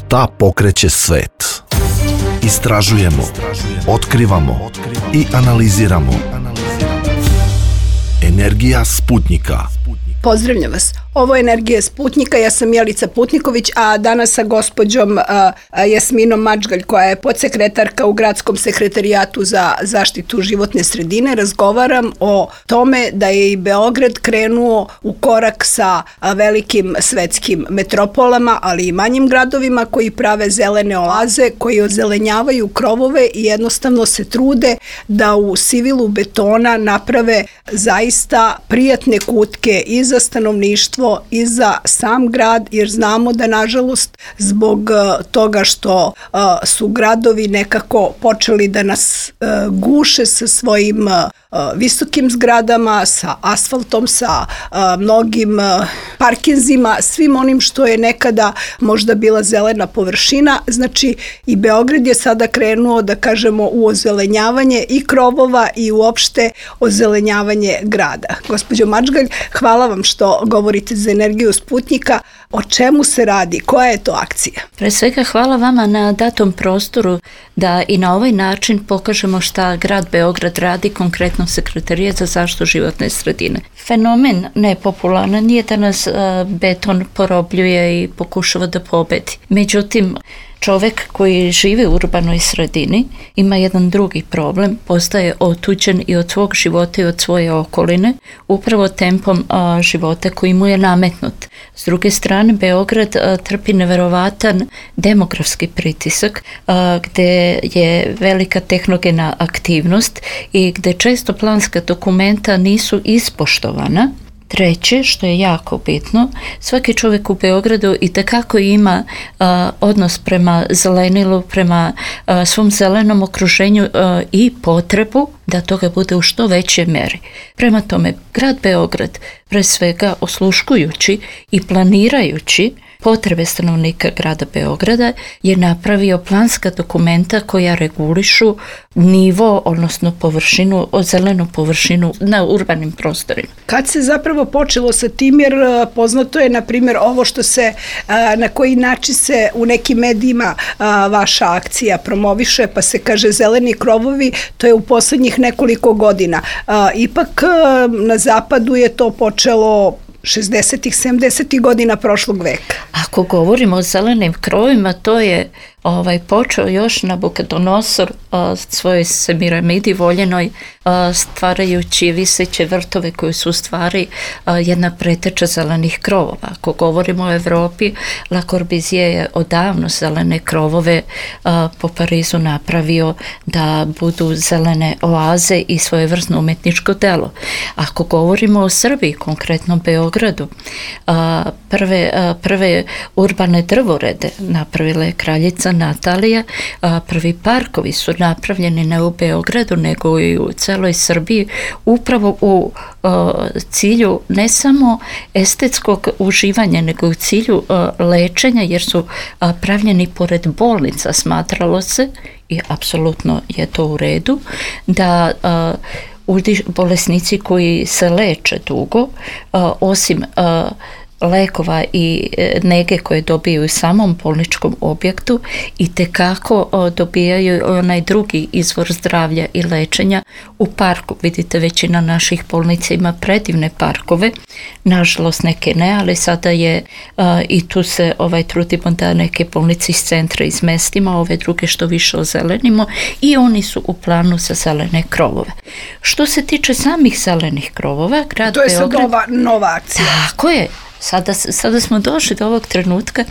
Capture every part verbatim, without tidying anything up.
Šta pokreće svet? Istražujemo, otkrivamo i analiziramo. Energija Sputnjika. Pozdravljam vas. Ovo je Energija Sputnjika, ja sam Jelica Putniković, a danas sa gospođom a, a Jasminom Mačgalj, koja je podsekretarka u Gradskom sekretarijatu za zaštitu životne sredine, razgovaram o tome da je i Beograd krenuo u korak sa a, velikim svetskim metropolama, ali i manjim gradovima koji prave zelene oaze, koji ozelenjavaju krovove i jednostavno se trude da u sivilu betona naprave zaista prijatne kutke i za stanovništvo i za sam grad, jer znamo da nažalost zbog uh, toga što uh, su gradovi nekako počeli da nas uh, guše sa svojim uh, visokim zgradama, sa asfaltom, sa uh, mnogim uh, parkinzima, svim onim što je nekada možda bila zelena površina. Znači i Beograd je sada krenuo, da kažemo, u ozelenjavanje i krovova i uopšte ozelenjavanje grada. Gospođo Mačgalj, hvala vam što govorite za Energiju Sputnjika. O čemu se radi? Koja je to akcija? Pre svega hvala vama na datom prostoru da i na ovaj način pokažemo šta grad Beograd radi, konkretno Sekretarijat za zaštitu životne sredine. Fenomen nepopularan je da nas beton porobljuje i pokušava da pobedi. Međutim, čovek koji živi u urbanoj sredini ima jedan drugi problem, postaje otuđen i od svog života i od svoje okoline, upravo tempom a, života koji mu je nametnut. S druge strane, Beograd a, trpi neverovatan demografski pritisak, a, gde je velika tehnogena aktivnost i gde često planska dokumenta nisu ispoštovana. Treće, što je jako bitno, svaki čovjek u Beogradu itekako ima a, odnos prema zelenilu, prema a, svom zelenom okruženju a, i potrebu da toga bude u što većoj meri. Prema tome, grad Beograd, pre svega osluškujući i planirajući potrebe stanovnika grada Beograda, je napravio planska dokumenta koja regulišu nivo, odnosno površinu, zelenu površinu na urbanim prostorima. Kad se zapravo počelo sa tim, jer poznato je, na primjer, ovo što se, na koji način se u nekim medijima vaša akcija promoviše, pa se kaže zeleni krovovi, to je u poslednjih nekoliko godina. Ipak na zapadu je to počelo šezdesetih, sedamdesetih godina prošlog veka. Ako govorimo o zelenim krovima, to je ovaj, počeo još Nabukodonosor a, svojoj Semiramidi voljenoj a, stvarajući viseće vrtove koji su u stvari a, jedna preteča zelenih krovova. Ako govorimo o Evropi, Le Corbusier je odavno zelene krovove a, po Parizu napravio da budu zelene oaze i svojevrsno umetničko delo. Ako govorimo o Srbiji, konkretno Beogradu, a, prve, a, prve urbane drvorede napravila je kraljica Natalija, a, prvi parkovi su napravljeni ne u Beogradu nego i u celoj Srbiji, upravo u a, cilju ne samo estetskog uživanja, nego u cilju a, lečenja, jer su a, pravljeni pored bolnica. Smatralo se, i apsolutno je to u redu, da a, bolesnici koji se leče dugo, a, osim a, lekova i nege koje dobijaju u samom bolničkom objektu, i tekako dobijaju onaj drugi izvor zdravlja i lečenja u parku. Vidite, većina naših bolnica ima predivne parkove, nažalost neke ne, ali sada je a, i tu se ovaj, trudimo da neke bolnice iz centra izmestimo, ove druge što više ozelenimo, i oni su u planu za zelene krovove. Što se tiče samih zelenih krovova, grad to je Beograd, sad nova, nova akcija. Tako je. Sada, sada smo došli do ovog trenutka,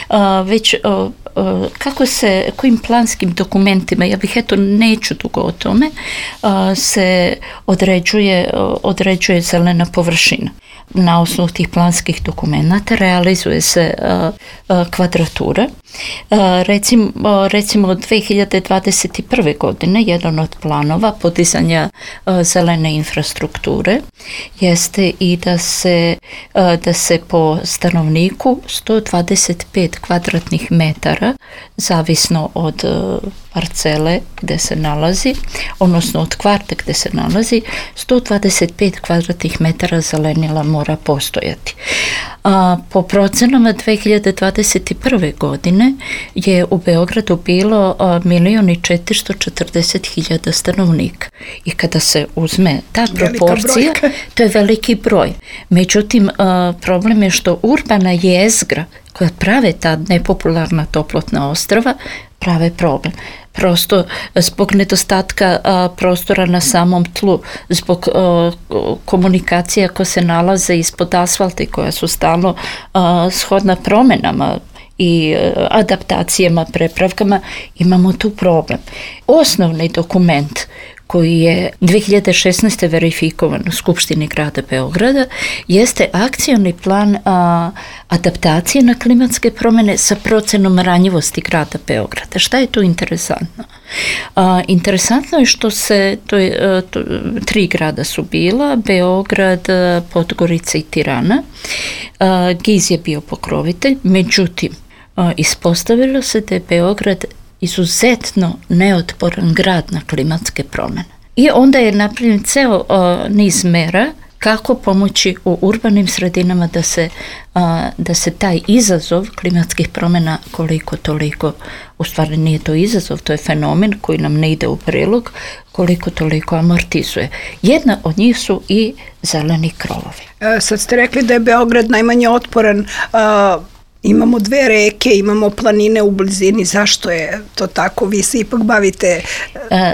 a, već a, a, kako se, kojim planskim dokumentima, ja bih eto neću dugo o tome, a, se određuje, određuje zelena površina. Na osnovu tih planskih dokumenta realizuje se a, a, kvadratura. A, recimo, a, recimo od dve hiljade dvadeset prve. godine jedan od planova podizanja a, zelene infrastrukture jeste i da se, a, da se po stanovniku sto dvadeset pet kvadratnih metara, zavisno od parcele gde se nalazi, odnosno od kvarta gde se nalazi, sto dvadeset pet kvadratnih metara zelenila mora postojati. A, po procenama dve hiljade dvadeset prve. godine je u Beogradu bilo milion i četiristo četrdeset hiljada stanovnika. I kada se uzme ta proporcija, to je veliki broj. Međutim, a, problem je što urbana jezgra koja prave ta nepopularna toplotna ostrva, prave problem. Prosto zbog nedostatka a, prostora na samom tlu, zbog a, komunikacija koje se nalaze ispod asfalta i koja su stalno a, shodna promenama i a, adaptacijama, prepravkama, imamo tu problem. Osnovni dokument koji je dve hiljade šesnaeste. verifikovan u Skupštini grada Beograda, jeste akcioni plan a, adaptacije na klimatske promjene sa procenom ranjivosti grada Beograda. Šta je tu interesantno? A, interesantno je što se, to je, a, to, tri grada su bila, Beograd, Podgorica i Tirana. A, Giz je bio pokrovitelj, međutim, a, ispostavilo se da je Beograd izuzetno neotporan grad na klimatske promjene. I onda je napravljen ceo uh, niz mera kako pomoći u urbanim sredinama da se, uh, da se taj izazov klimatskih promjena koliko toliko, u stvari nije to izazov, to je fenomen koji nam ne ide u prilog, koliko toliko amortizuje. Jedna od njih su i zeleni krovovi. E, sad ste rekli da je Beograd najmanje otporan. Uh, Imamo dve reke, imamo planine u blizini, zašto je to tako? Vi se ipak bavite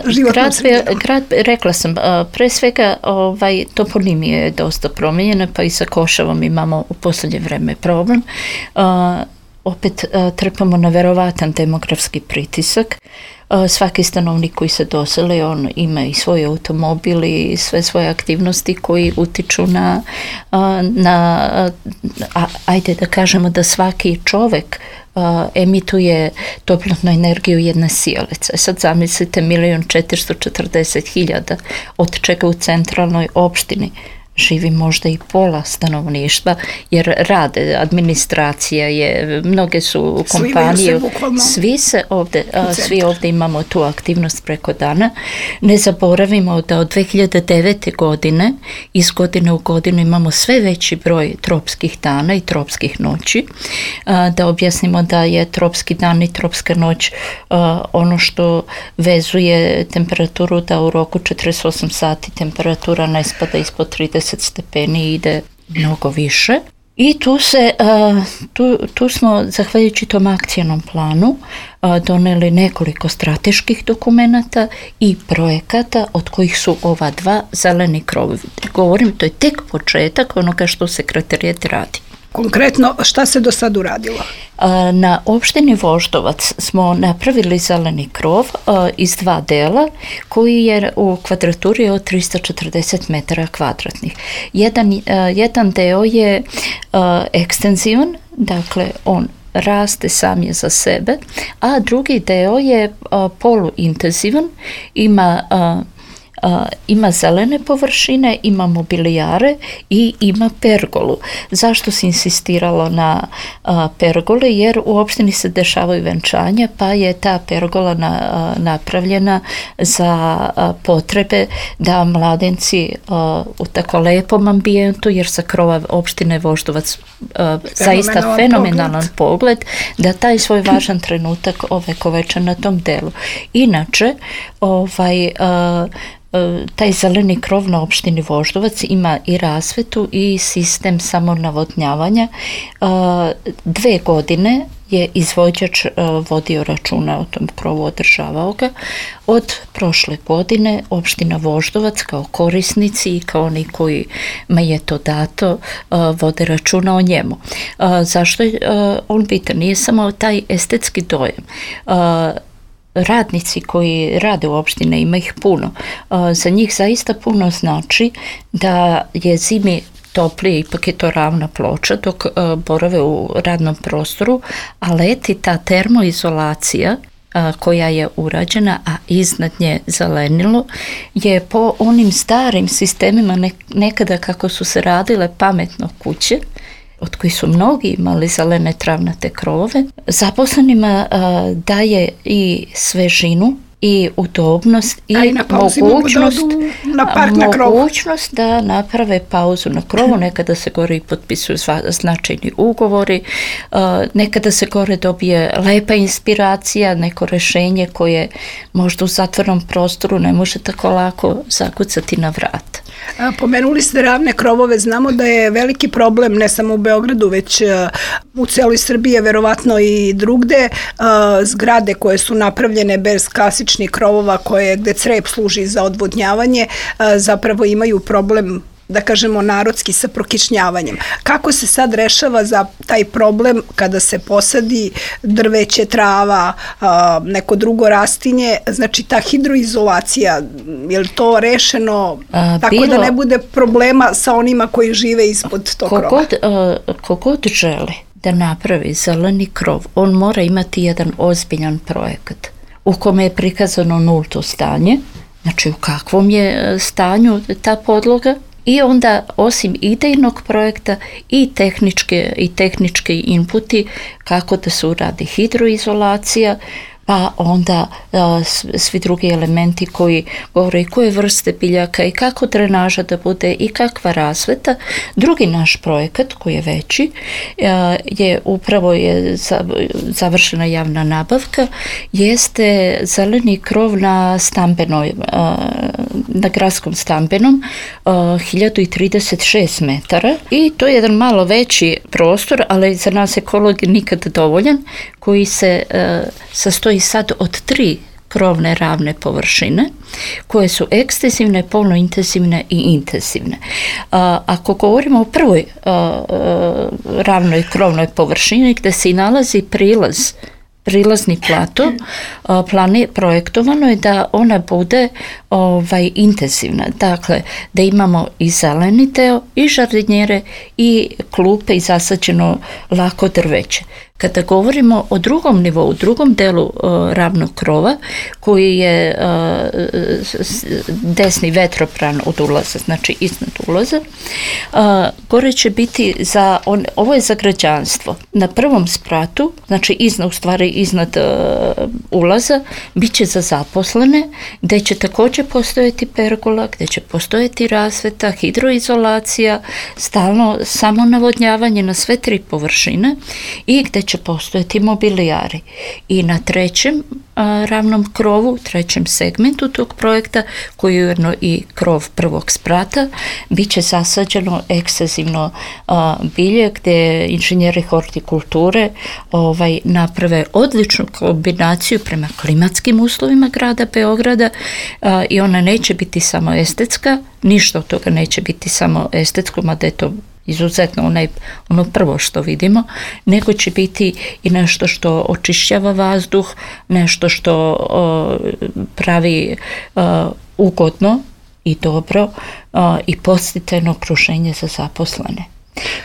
životnom sredinom. Grad, rekla sam, pre svega ovaj, toponimija je dosta promijenjena, pa i sa Košavom imamo u posljednje vreme problem. Opet trpamo na verovatan demografski pritisak. Svaki stanovnik koji se doseli, on ima i svoj automobil i sve svoje aktivnosti koji utiču na, na a, ajde da kažemo da svaki čovek a, emituje toplotnu energiju jedne sijalice. Sad zamislite milion četiristo četrdeset hiljada, od čega u centralnoj opštini živi možda i pola stanovništva, jer rade, administracija je, mnoge su kompanije, svi se ovde, a, svi ovde imamo tu aktivnost preko dana. Ne zaboravimo da od dve hiljade devete. godine iz godine u godinu imamo sve veći broj tropskih dana i tropskih noći. A, da objasnimo da je tropski dan i tropska noć a, ono što vezuje temperaturu, da u roku četrdeset osam sati temperatura ne spada ispod trideset stepeni, ide mnogo više. I tu se, tu, tu smo, zahvaljujući tom akcijnom planu, doneli nekoliko strateških dokumenata i projekata, od kojih su ova dva zeleni krovovi. Govorim, to je tek početak onoga što sekretarijat radi. Konkretno, šta se do sad uradilo? Na opštini Voždovac smo napravili zeleni krov iz dva dela koji je u kvadraturi od tristo četrdeset metara kvadratnih. Jedan, jedan deo je ekstenzivan, dakle on raste sam je za sebe, a drugi deo je poluintenzivan, ima Uh, ima zelene površine, ima mobilijare i ima pergolu. Zašto se insistiralo na uh, pergole? Jer u opštini se dešavaju venčanja, pa je ta pergola na, uh, napravljena za uh, potrebe da mladenci uh, u tako lepom ambijentu, jer sa krova opštine Voždovac uh, zaista fenomenalan pogled, da taj svoj važan trenutak ovekoveče na tom delu. Inače, ovaj uh, taj zeleni krov na opštini Voždovac ima i rasvetu i sistem samonavodnjavanja. Dve godine je izvođač vodio računa o tom krovu, održavao ga. Od prošle godine opština Voždovac kao korisnici i kao oni kojima je to dato vode računa o njemu. Zašto je on bitan? Nije samo taj estetski dojam. Radnici koji rade u opštine, ima ih puno. Za njih zaista puno znači da je zimi toplije, ipak je to ravna ploča dok borave u radnom prostoru, a leti ta termoizolacija koja je urađena, a iznad nje zelenilo, je po onim starim sistemima nekada kako su se radile pametno kuće, od kojih su mnogi imali zelene travnate krovove, zaposlenima a, daje i svežinu i udobnost i mogućnost, na park na mogućnost da naprave pauzu na krovu. Nekada se gore i potpisuju značajni ugovori, nekada se gore dobije lepa inspiracija, neko rešenje koje možda u zatvornom prostoru ne može tako lako zakucati na vrat. Pomenuli ste ravne krovove, znamo da je veliki problem ne samo u Beogradu, već u celoj Srbiji, verovatno i drugde, zgrade koje su napravljene bez klasičnih krovova koje, gde crep služi za odvodnjavanje, zapravo imaju problem, da kažemo narodski, sa prokišnjavanjem. Kako se sad rešava za taj problem kada se posadi drveće, trava, neko drugo rastinje, znači ta hidroizolacija, je li to rešeno a, tako bilo, da ne bude problema sa onima koji žive ispod tog krova? Kogod, kogod želi da napravi zeleni krov, on mora imati jedan ozbiljan projekat u kome je prikazano nulto stanje, znači u kakvom je stanju ta podloga, i onda osim idejnog projekta i tehničke i tehnički inputi kako da se uradi hidroizolacija, pa onda a, svi drugi elementi koji govore i koje vrste biljaka i kako drenaža da bude i kakva rasveta. Drugi naš projekat koji je veći a, je upravo je završena javna nabavka, jeste zeleni krov na stambenoj, a, na gradskom stambenom, a, hiljadu trideset šest metara, i to je jedan malo veći prostor, ali za nas ekolog nikad dovoljan, koji se a, sastoji sad od tri krovne ravne površine koje su ekstenzivne, polnointenzivne i intenzivne. A, ako govorimo o prvoj a, a, ravnoj krovnoj površini gde se i nalazi prilaz, prilazni plato, a, plani, projektovano je da ona bude ovaj, intenzivna. Dakle, da imamo i zeleni deo, i žardinjere, i klupe, i zasađeno lako drveće. Kada govorimo o drugom nivou, drugom delu uh, ravnog krova, koji je uh, desni vetropran od ulaza, znači iznad ulaza, uh, gore će biti za, on, ovo je za građanstvo. Na prvom spratu, znači iznad, u stvari iznad uh, ulaza, bit će za zaposlene, gde će također postojati pergola, gde će postojati rasveta, hidroizolacija, stalno samonavodnjavanje na sve tri površine i gde će postojati mobilijari. I na trećem a, ravnom krovu, trećem segmentu tog projekta, koji je ujedno i krov prvog sprata, bit će zasađeno ekstenzivno a, bilje gde inženjeri hortikulture ovaj, naprave odličnu kombinaciju prema klimatskim uslovima grada Beograda, a, i ona neće biti samo estetska, ništa od toga neće biti samo estetsko, mada je to izuzetno onaj, ono prvo što vidimo, nego će biti i nešto što očišćava vazduh, nešto što o, pravi o, ugodno i dobro o, i podsticajno okruženje za zaposlene.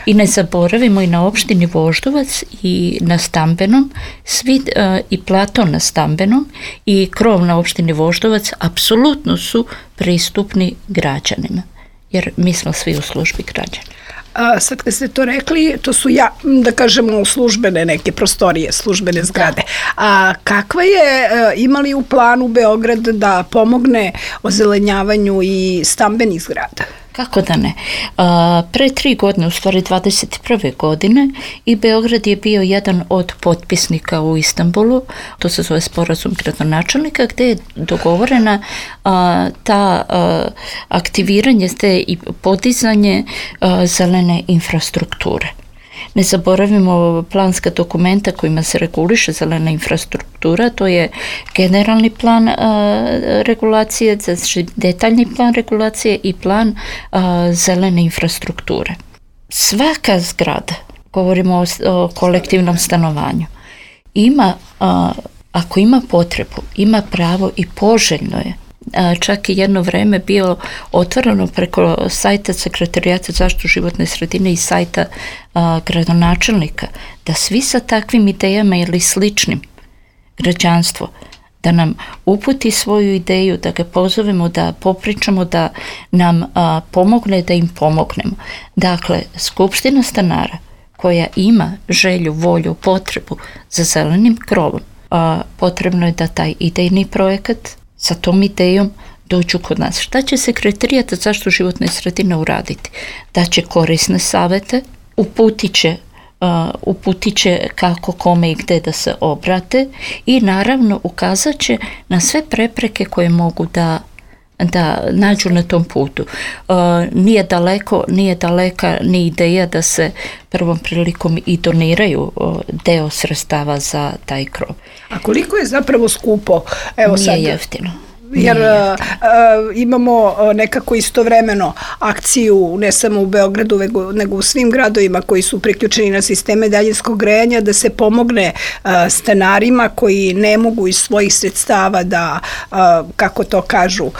I ne zaboravimo i na opštini Voždovac i na stambenom, svi, e, i plato na stambenom i krov na opštini Voždovac apsolutno su pristupni građanima, jer mi smo svi u službi građana. A sad kad ste to rekli, to su, ja, da kažemo, službene neke prostorije, službene zgrade. A kakva je, imali u planu Beograd da pomogne ozelenjavanju i stambenih zgrada? Kako da ne? A, pre tri godine, u stvari dvadeset prve godine, i Beograd je bio jedan od potpisnika u Istanbulu, to se zove sporazum gradonačelnika, gde je dogovorena a, ta a, aktiviranje te i podizanje a, zelene infrastrukture. Ne zaboravimo planska dokumenta kojima se reguliše zelena infrastruktura, to je generalni plan a, regulacije, znači detaljni plan regulacije i plan a, zelene infrastrukture. Svaka zgrada, govorimo o, o kolektivnom stanovanju, ima, a, ako ima potrebu, ima pravo i poželjno je, čak i jedno vreme bio otvoreno preko sajta Sekretarijata zaštitu životne sredine i sajta a, gradonačelnika, da svi sa takvim idejama ili sličnim građanstvo, da nam uputi svoju ideju, da ga pozovemo, da popričamo, da nam a, pomogne, da im pomognemo. Dakle, Skupština stanara koja ima želju, volju, potrebu za zelenim krovom, a, potrebno je da taj idejni projekat sa tom idejom dođu kod nas. Šta će Sekretarijat za zaštitu životne sredine uraditi? Da će korisne savete, uputit će, uh, uputit će kako, kome i gde da se obrate i naravno ukazat će na sve prepreke koje mogu da da nađu na tom putu. Uh, nije daleko, nije daleka ni ideja da se prvom prilikom i doniraju uh, deo sredstava za taj krov. A koliko je zapravo skupo? Evo nije sad, jeftino. Jer uh, imamo nekako istovremeno akciju ne samo u Beogradu nego, nego u svim gradovima koji su priključeni na sisteme daljinskog grejanja da se pomogne uh, stanarima koji ne mogu iz svojih sredstava da, uh, kako to kažu, uh,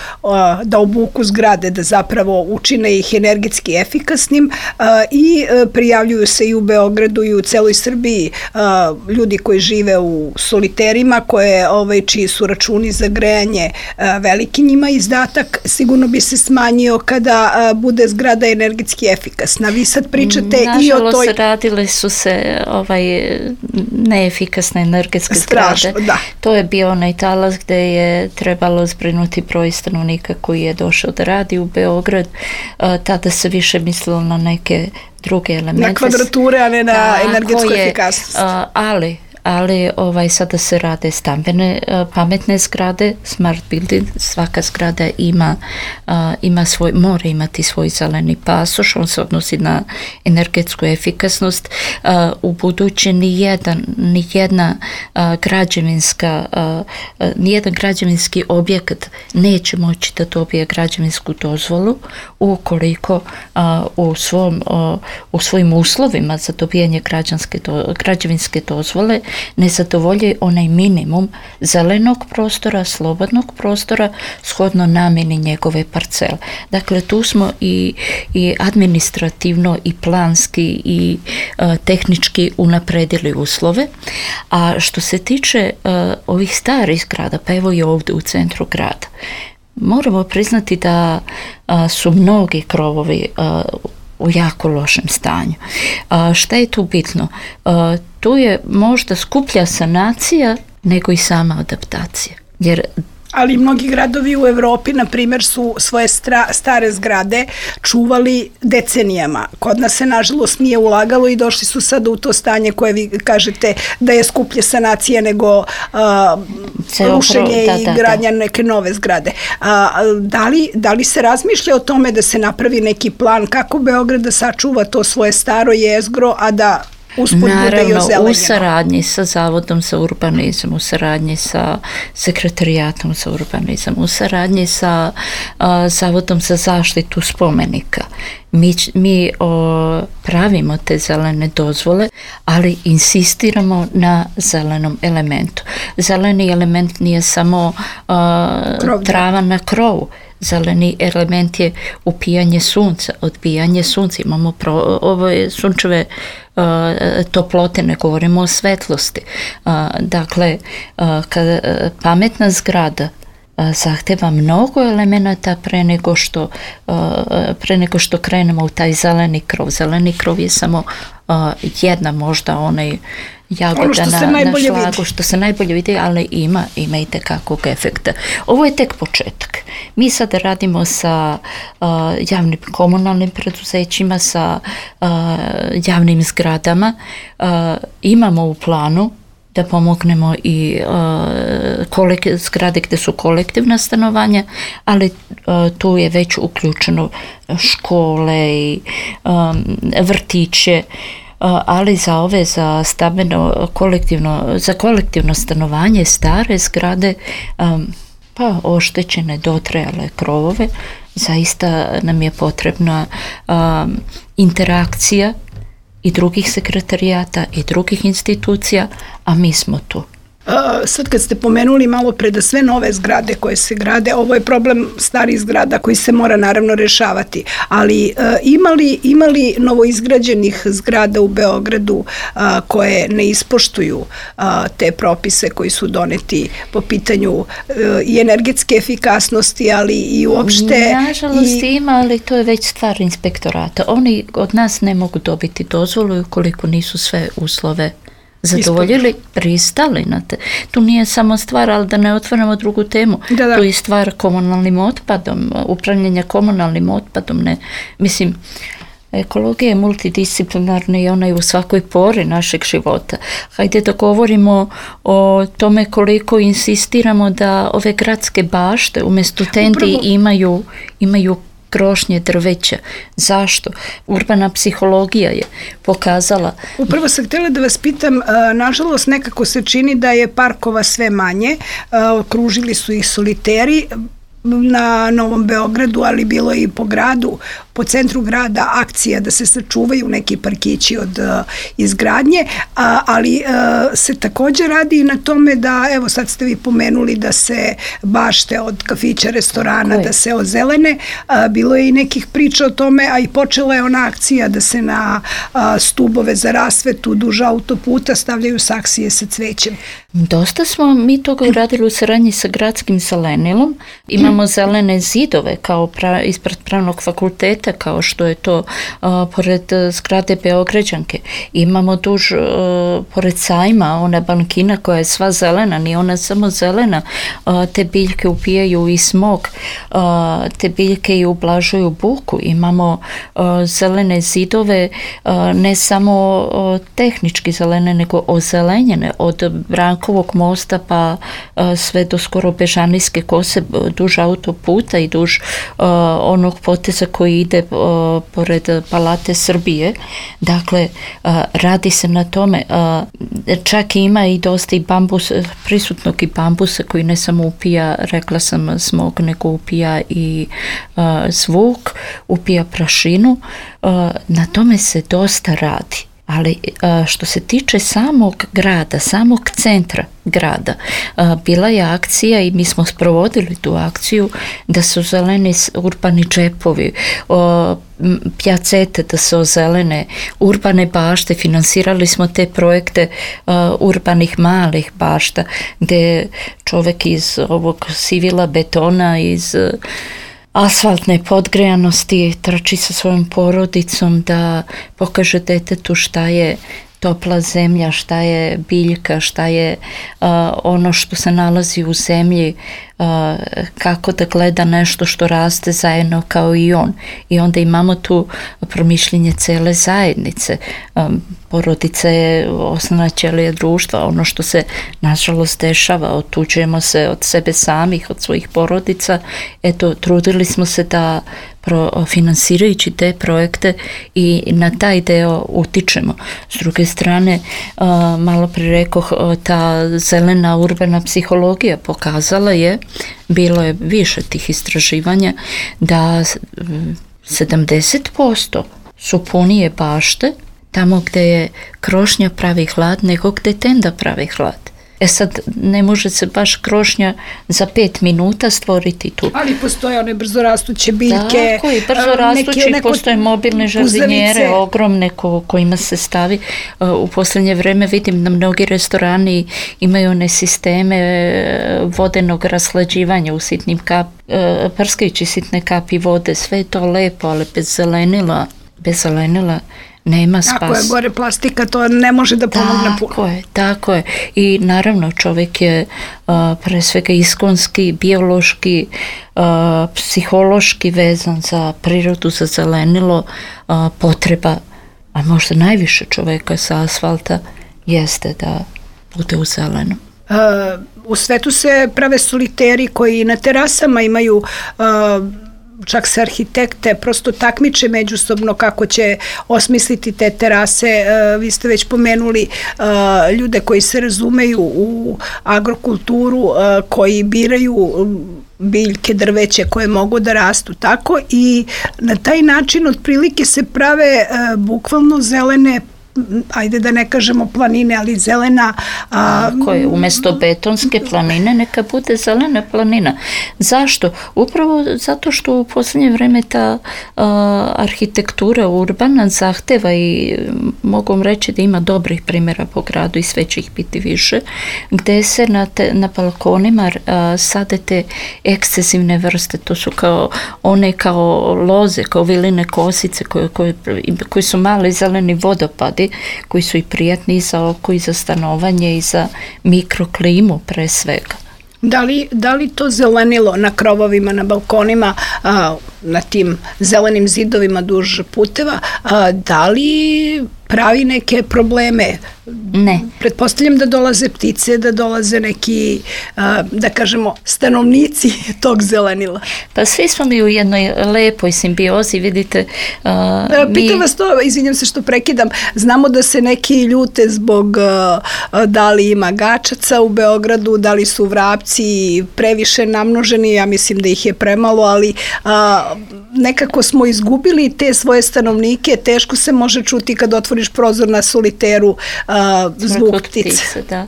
da obuku zgrade, da zapravo učine ih energetski efikasnim uh, i uh, prijavljuju se i u Beogradu i u celoj Srbiji uh, ljudi koji žive u soliterima koje, ovaj, čiji su računi za grejanje veliki njima izdatak, sigurno bi se smanjio kada a, bude zgrada energetski efikasna. Vi sad pričate nažalost, i o toj... Nažalost, radile su se ovaj, neefikasne energetske Strašno, zgrade. Da. To je bio onaj talas gde je trebalo zbrinuti broj stanovnika koji je došao da radi u Beograd. A, tada se više mislilo na neke druge elemente. Na kvadrature, a ne na da, energetsku je, efikasnost. A, ali... ali ovaj, sada se rade stambene uh, pametne zgrade, smart building, svaka zgrada ima, uh, ima svoj, mora imati svoj zeleni pasoš, on se odnosi na energetsku efikasnost. Uh, u buduće nijedan, nijedna uh, građevinska, uh, uh, nijedan građevinski objekat neće moći da dobije građevinsku dozvolu ukoliko uh, u, svom, uh, u svojim uslovima za dobijanje građanske do, građevinske dozvole ne zadovolji onaj minimum zelenog prostora, slobodnog prostora, shodno namjeni njegove parcele. Dakle, tu smo i, i administrativno i planski i uh, tehnički unapredili uslove. A što se tiče uh, ovih starih zgrada, pa evo i ovdje u centru grada, moramo priznati da uh, su mnogi krovovi uh, u jako lošem stanju. A, šta je tu bitno? A, tu je možda skuplja sanacija nego i sama adaptacija. Jer ali mnogi gradovi u Evropi, na primjer, su svoje stra, stare zgrade čuvali decenijama. Kod nas se, nažalost, nije ulagalo i došli su sada u to stanje koje vi kažete da je skuplje sanacija nego uh, rušenje da, i da, gradnja da. neke nove zgrade. Uh, da, li, da li se razmišlja o tome da se napravi neki plan kako Beograd da sačuva to svoje staro jezgro, a da naravno u saradnji sa Zavodom za urbanizam, u saradnji sa Sekretarijatom za urbanizam, u saradnji sa uh, Zavodom za zaštitu spomenika. Mi, mi o, pravimo te zelene dozvole, ali insistiramo na zelenom elementu. Zeleni element nije samo uh, trava na krovu. Zeleni element je upijanje sunca, odbijanje sunca. Imamo pro, ove sunčeve uh, toplote, ne govorimo o svetlosti. Uh, dakle, uh, kada uh, pametna zgrada uh, zahteva mnogo elemenata pre nego što uh, pre nego što krenemo u taj zeleni krov. Zeleni krov je samo uh, jedna, možda onaj jagoda na, na šlagu, vidi. Što se najbolje vidi, ali ima, ima i tekakvog efekta. Ovo je tek početak. Mi sada radimo sa uh, javnim komunalnim preduzećima, sa uh, javnim zgradama. Uh, imamo u planu da pomognemo i uh, kolek, zgrade gde su kolektivna stanovanja, ali uh, tu je već uključeno škole i um, vrtiće, ali za ove, za stambeno kolektivno, za kolektivno stanovanje stare zgrade, um, pa oštećene, dotrajale krovove, zaista nam je potrebna um, interakcija i drugih sekretarijata i drugih institucija, a mi smo tu. Sad kad ste pomenuli malo pre da sve nove zgrade koje se grade, ovo je problem starih zgrada koji se mora naravno rešavati, ali imali, imali novoizgrađenih zgrada u Beogradu koje ne ispoštuju te propise koji su doneti po pitanju i energetske efikasnosti, ali i uopšte... Nažalost i... ima, ali to je već stvar inspektorata. Oni od nas ne mogu dobiti dozvolu ukoliko nisu sve uslove zadovoljili, pristali na te. Tu nije samo stvar, ali da ne otvaramo drugu temu. Da, da. Tu je stvar komunalnim otpadom, upravljanja komunalnim otpadom. Ne. Mislim, ekologija je multidisciplinarna i ona je u svakoj pori našeg života. Hajde da govorimo o tome koliko insistiramo da ove gradske bašte umjesto tendi Upravo... imaju, imaju krošnje drveća. Zašto? Urbana psihologija je pokazala. Upravo sam htjela da vas pitam, nažalost nekako se čini da je parkova sve manje, okružili su ih soliteri na Novom Beogradu, ali bilo i po gradu, po centru grada akcija da se sačuvaju neki parkići od uh, izgradnje, a, ali uh, se također radi i na tome da, evo sad ste vi pomenuli da se bašte od kafića, restorana, da se ozelene, a, bilo je i nekih priča o tome, a i počela je ona akcija da se na a, stubove za rasvetu duž autoputa stavljaju saksije sa cvećem. Dosta smo mi toga uradili u saradnji sa gradskim zelenilom. Imamo zelene zidove kao pra, ispred pravnog fakulteta, kao što je to uh, pored zgrade Beograđanke. Imamo duž uh, pored sajma, ona bankina koja je sva zelena, nije ona samo zelena. Uh, te biljke upijaju i smog, uh, te biljke i ublažuju buku. Imamo uh, zelene zidove, uh, ne samo uh, tehnički zelene, nego ozelenjene od Brankovog mosta pa uh, sve do skoro Bežanijske kose, duž autoputa i duž uh, onog poteza koji ide uh, pored Palate Srbije. Dakle, uh, radi se na tome. Uh, čak ima i dosta i bambus, prisutnog i bambusa koji ne samo upija, rekla sam, smog, nego upija i uh, zvuk, upija prašinu. Uh, na tome se dosta radi. Ali što se tiče samog grada, samog centra grada, bila je akcija i mi smo sprovodili tu akciju da se ozeleni urbani džepovi, pjacete da se ozelene, urbane bašte, finansirali smo te projekte urbanih malih bašta gdje čovjek iz ovog sivila betona, iz asfaltne podgrejanosti trči sa svojom porodicom da pokaže detetu šta je topla zemlja, šta je biljka, šta je uh, ono što se nalazi u zemlji, uh, kako da gleda nešto što raste zajedno kao i on. I onda imamo tu promišljenje cele zajednice. Um, porodica je osnovna ćelija društva, ono što se nažalost dešava, otuđujemo se od sebe samih, od svojih porodica. Eto, trudili smo se da pro, finansirajući te projekte i na taj deo utičemo. S druge strane, uh, malo pre rekoh, ta zelena urbana psihologija pokazala je, bilo je više tih istraživanja, da sedamdeset posto su punije bašte tamo gdje je krošnja pravi hlad nego gdje tenda pravi hlad. E sad, ne može se baš krošnja za pet minuta stvoriti tu. Ali postoje one brzorastuće biljke. Tako i brzorastuće, neko, postoje mobilne žardinjere, ogromne ko, kojima se stavi. U posljednje vreme vidim da mnogi restorani imaju one sisteme vodenog raslađivanja u sitnim kap, prskajući sitne kapi vode. Sve je to lepo, ali bez zelenila, bez zelenila nema spas. Tako je, gore plastika, to ne može da pomogne puno. Tako je, tako je. I naravno čovjek je uh, pre svega iskonski, biološki, uh, psihološki vezan za prirodu, za zelenilo, uh, potreba, a možda najviše čovjeka sa asfalta jeste da bude u zelenu. Uh, u svetu se prave soliteri koji na terasama imaju uh, čak se arhitekte prosto takmiče međusobno kako će osmisliti te terase. E, vi ste već pomenuli e, ljude koji se razumeju u agrokulturu, e, koji biraju biljke, drveće koje mogu da rastu tako i na taj način otprilike se prave e, bukvalno zelene ajde da ne kažemo planine, ali zelena. A, koje umjesto betonske planine neka bude zelena planina. Zašto? Upravo zato što u posljednje vrijeme ta a, arhitektura urbana zahteva i mogu vam reći da ima dobrih primjera po gradu i sve će ih biti više, gdje se na, te, na balkonima a, sade te ekscesivne vrste. To su kao one kao loze, kao viline kosice koje, koje, koji su mali zeleni vodopadi koji su i prijatni i za oko i za stanovanje i za mikroklimu pre svega. Da li, da li to zelenilo na krovovima, na balkonima, a, na tim zelenim zidovima duž puteva, a, da li pravi neke probleme? Ne. Pretpostavljam da dolaze ptice, da dolaze neki, a, da kažemo, stanovnici tog zelenila. Pa svi smo mi u jednoj lepoj simbiozi, vidite. A, Pitam mi... vas to, izvinjam se što prekidam, znamo da se neki ljute zbog a, da li ima gačaca u Beogradu, da li su vrapci previše namnoženi, ja mislim da ih je premalo, ali a, nekako smo izgubili te svoje stanovnike, teško se može čuti kad otvoriš prozor na soliteru a, zvuk ptice. ptice da.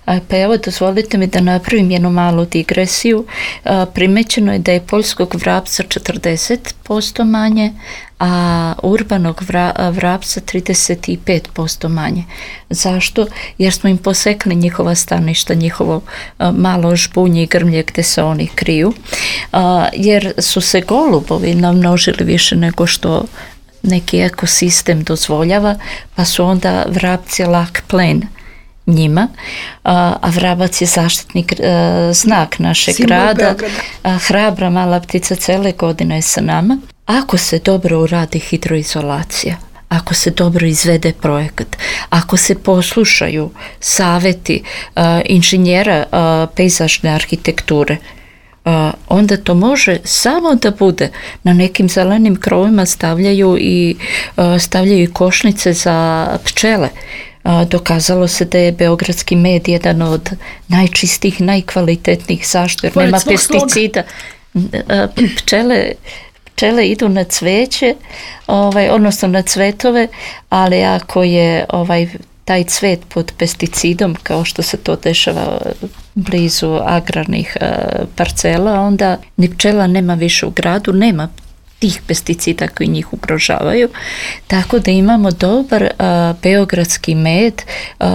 A, pa evo, dozvolite mi da napravim jednu malu digresiju. A, primećeno je da je poljskog vrapca četrdeset posto manje, a urbanog vra, vrapca trideset pet posto manje. Zašto? Jer smo im posekli njihova staništa, njihovo a, malo žbunje i grmlje gdje se oni kriju, a, jer su se golubovi namnožili više nego što neki ekosistem dozvoljava, pa su onda vrapci lak plen njima, a, a vrabac je zaštitnik a, znak našeg Simbol grada, Beograda. hrabra mala ptica cele godine je sa nama. Ako se dobro uradi hidroizolacija, ako se dobro izvede projekat, ako se poslušaju savjeti a, inženjera a, pejzažne arhitekture, Uh, onda to može samo da bude. Na nekim zelenim krovima stavljaju i uh, stavljaju i košnice za pčele. Uh, dokazalo se da je beogradski med jedan od najčistijih, najkvalitetnijih. Zašto? Jer nema pesticida. Uh, pčele Pčele idu na cveće, ovaj, odnosno na cvetove, ali ako je ovaj taj cvet pod pesticidom, kao što se to dešava blizu agrarnih uh, parcela, onda ni pčela nema više u gradu, nema tih pesticida koji njih ugrožavaju, tako da imamo dobar uh, beogradski med. Uh,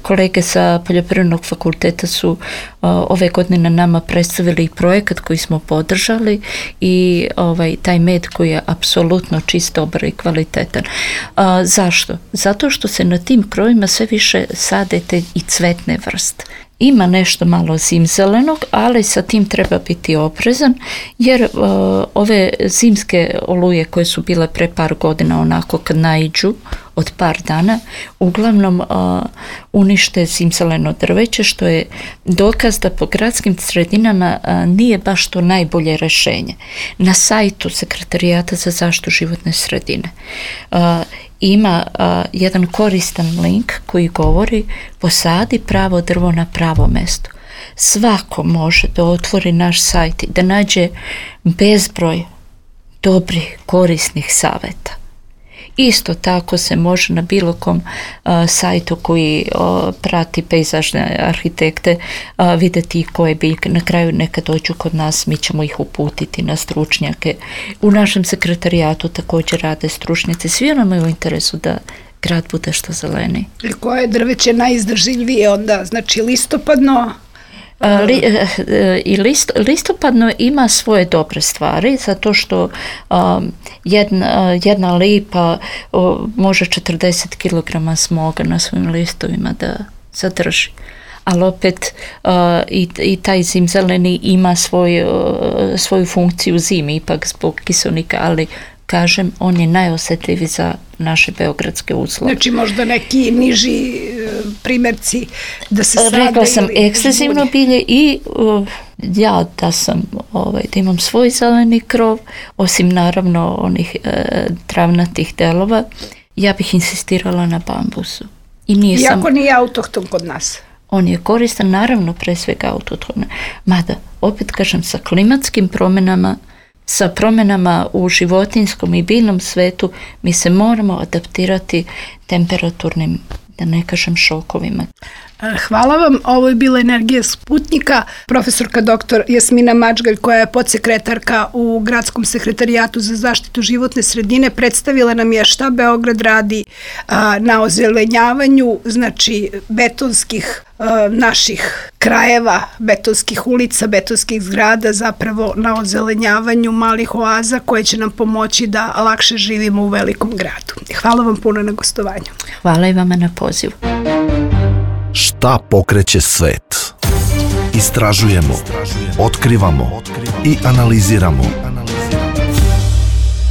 kolege sa Poljoprivrednog fakulteta su uh, ove godine na nama predstavili projekat koji smo podržali i ovaj, taj med koji je apsolutno čist, dobar i kvalitetan. Uh, zašto? Zato što se na tim krovima sve više sade te i cvetne vrste. Ima nešto malo zimzelenog, ali sa tim treba biti oprezan, jer uh, ove zimske oluje koje su bile pre par godina onako kad naiđu od par dana, uglavnom uh, unište zimzeleno drveće, što je dokaz da po gradskim sredinama uh, nije baš to najbolje rješenje. Na sajtu Sekretarijata za zaštitu životne sredine uh, ima uh, jedan koristan link koji govori posadi pravo drvo na pravo mesto. Svako može da otvori naš sajt i da nađe bezbroj dobrih, korisnih savjeta. Isto tako se može na bilo kom uh, sajtu koji uh, prati pejzažne arhitekte uh, vidjeti koje biljke. Na kraju neka dođu kod nas, mi ćemo ih uputiti na stručnjake. U našem sekretarijatu također rade stručnjaci. Svi nam je u interesu da grad bude što zeleniji. I koje drveće najizdržljivije onda? Znači listopadno? Li, i list, listopadno ima svoje dobre stvari, zato što um, jedna, jedna lipa uh, može četrdeset kilograma smoga na svojim listovima da zadrži. Ali opet uh, i, i taj zimzeleni ima svoj, uh, svoju funkciju zimi, ipak zbog kiselnika, ali kažem, on je najosjetljiviji za naše beogradske uslove. Znači možda neki niži primjerci da se sade. Rekla sam ekstenzivno bilje i uh, ja da sam, ovaj, da imam svoj zeleni krov, osim naravno onih uh, travnatih delova, ja bih insistirala na bambusu. I nije Iako sam, nije autohton kod nas. On je koristan, naravno pre svega autohtone. Mada, opet kažem, sa klimatskim promjenama sa promjenama u životinjskom i biljnom svetu mi se moramo adaptirati temperaturnim, da ne kažem, šokovima. Hvala vam. Ovo je bila Energija Sputnika. Profesorka doktor Jasmina Mačgalj, koja je podsekretarka u Gradskom sekretarijatu za zaštitu životne sredine, predstavila nam je šta Beograd radi a, na ozelenjavanju, znači betonskih a, naših krajeva, betonskih ulica, betonskih zgrada, zapravo na ozelenjavanju malih oaza koje će nam pomoći da lakše živimo u velikom gradu. Hvala vam puno na gostovanju. Hvala i vama na pozivu. Šta pokreće svet? Istražujemo, otkrivamo i analiziramo.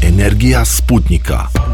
Energija Sputnika.